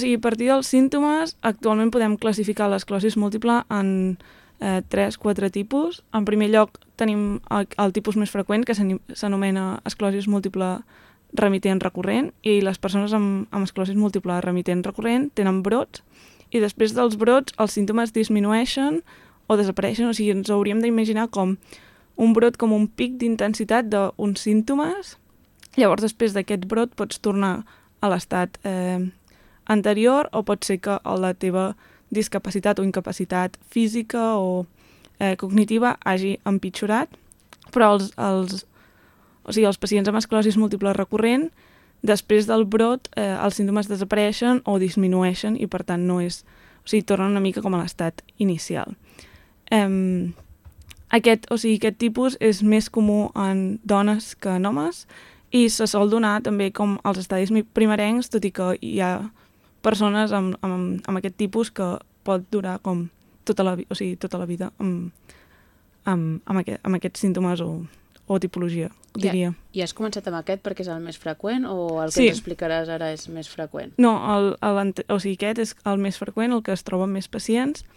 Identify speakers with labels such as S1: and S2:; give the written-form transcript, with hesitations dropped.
S1: a partir dels símptomes, actualment podem classificar l'esclerosi múltiple en 3-4 tipus. En primer lloc tenim el tipus més freqüent, que s'anomena esclerosi múltiple remitent recurrent, i les persones amb esclerosi múltiple remitent recurrent tenen brots, i després dels brots els símptomes disminueixen o desapareixen, o sigui, ens hauríem d'imaginar com un brot com un pic d'intensitat d'uns símptomes. Llavors, després d'aquest brot pots tornar a l'estat anterior, o pot ser que la teva discapacitat o incapacitat física o cognitiva hagi empitjorat, però els pacients amb esclerosi múltiple recurrent, després del brot els símptomes desapareixen o disminueixen i per tant tornen una mica com a l'estat inicial. Aquest tipus és més comú en dones que en homes i se sol donar també com als estadis primerencs, tot i que hi ha persones amb aquest tipus que pot durar com tota la vida amb aquests símptomes o tipologia, diria.
S2: I has començat amb aquest perquè és el més freqüent o el que ens explicaràs ara és més freqüent?
S1: No, aquest és el més freqüent, el que es troba en més pacients,